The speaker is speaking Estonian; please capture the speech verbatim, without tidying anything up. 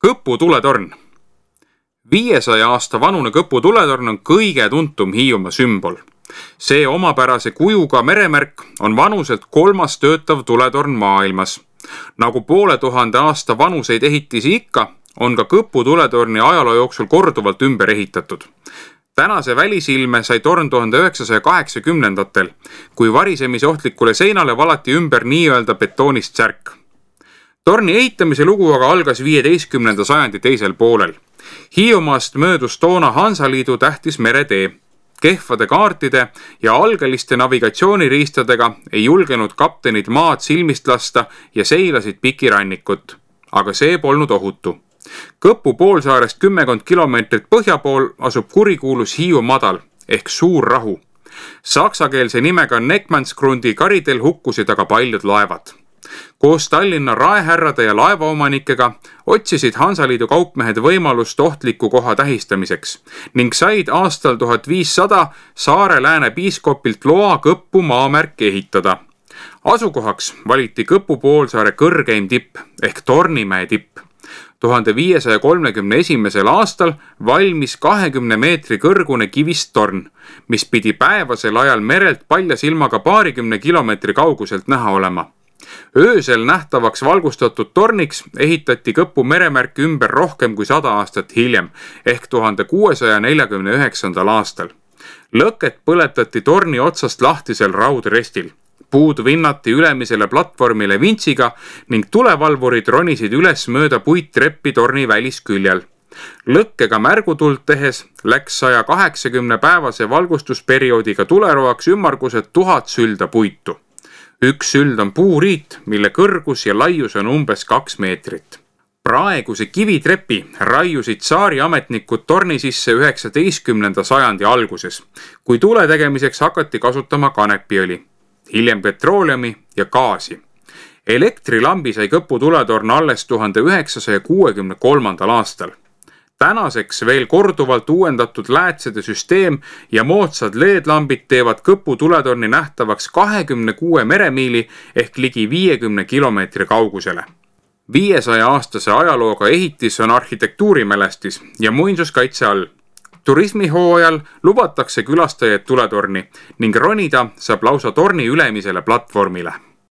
Kõpu tuletorn. viiesaja aasta vanune Kõpu tuletorn on kõige tuntum Hiiumaa sümbol. See omapärase kujuga meremärk on vanuselt kolmas töötav tuletorn maailmas. Nagu poole tuhande aasta vanuseid ehitisi ikka, on ka Kõpu tuletorni ajaloo jooksul korduvalt ümber ehitatud. Tänase välisilme sai torn tuhande üheksasaja kaheksakümnendatel, kui varisemise ohtlikule seinale valati ümber nii-öelda betoonist särk. Torni ehitamise lugu aga algas viieteistkümnenda sajandi teisel poolel. Hiiumaast möödus toona Hansaliidu tähtis meretee. Kehvade kaartide ja algeliste navigatsiooniriistadega ei julgenud kaptenid maad silmist lasta ja seilasid pikirannikut. Aga see polnud ohutu. Kõpu poolsaarest kümmekond kilomeetrit põhja pool asub kurikuulus Hiiu madal ehk Suur Rahu. Saksakeelse nimega Neckmannsgrundi karidel hukkusid aga paljud laevad. Koos Tallinna raehärrade ja laevaomanikega otsisid Hansaliidu kaupmehed võimalust ohtliku koha tähistamiseks ning said aastal tuhat viissada Saare Lääne piiskopilt loa Kõppu maamärk ehitada. Asukohaks valiti Kõpu poolsaare kõrgeim tipp ehk Tornimäe tipp. tuhande viiesaja kolmekümne esimesel aastal valmis kahekümne meetri kõrgune kivist torn, mis pidi päevasel ajal merelt palja silmaga paarikümne kilomeetri kauguselt näha olema. Öösel nähtavaks valgustatud torniks ehitati Kõpu meremärk ümber rohkem kui sada aastat hiljem ehk tuhande kuuesaja neljakümne üheksandal aastal. Lõket põletati torni otsast lahtisel raudrestil. Puud vinnati ülemisele platvormile vintsiga ning tulevalvurid ronisid üles mööda puittreppi torni välisküljel. Lõkkega märgutuld tehes läks saja kaheksakümne päevase valgustusperioodiga tuleroaks ümmargused tuhat sülda puitu. Üks süld on puuriit, mille kõrgus ja laius on umbes kaks meetrit. Praeguse kivitrepi raiusid saari ametnikud torni sisse üheksateistkümnenda sajandi alguses, kui tule tegemiseks hakati kasutama kanepiõli, hiljem petrooleumi ja gaasi. Elektrilambi sai Kõpu tuletorn alles tuhande üheksasaja kuuekümne kolmandal aastal. Tänaseks veel korduvalt uuendatud läätsede süsteem ja moodsad L E D-lambid teevad Kõpu tuletorni nähtavaks kahekümne kuue meremiili ehk ligi viiekümne kilomeetri kaugusele. viiesaja aastase ajalooga ehitis on arhitektuurimälestis ja muinsuskaitse all. Turismihooajal lubatakse külastajaid tuletorni ning ronida saab lausa torni ülemisele platvormile.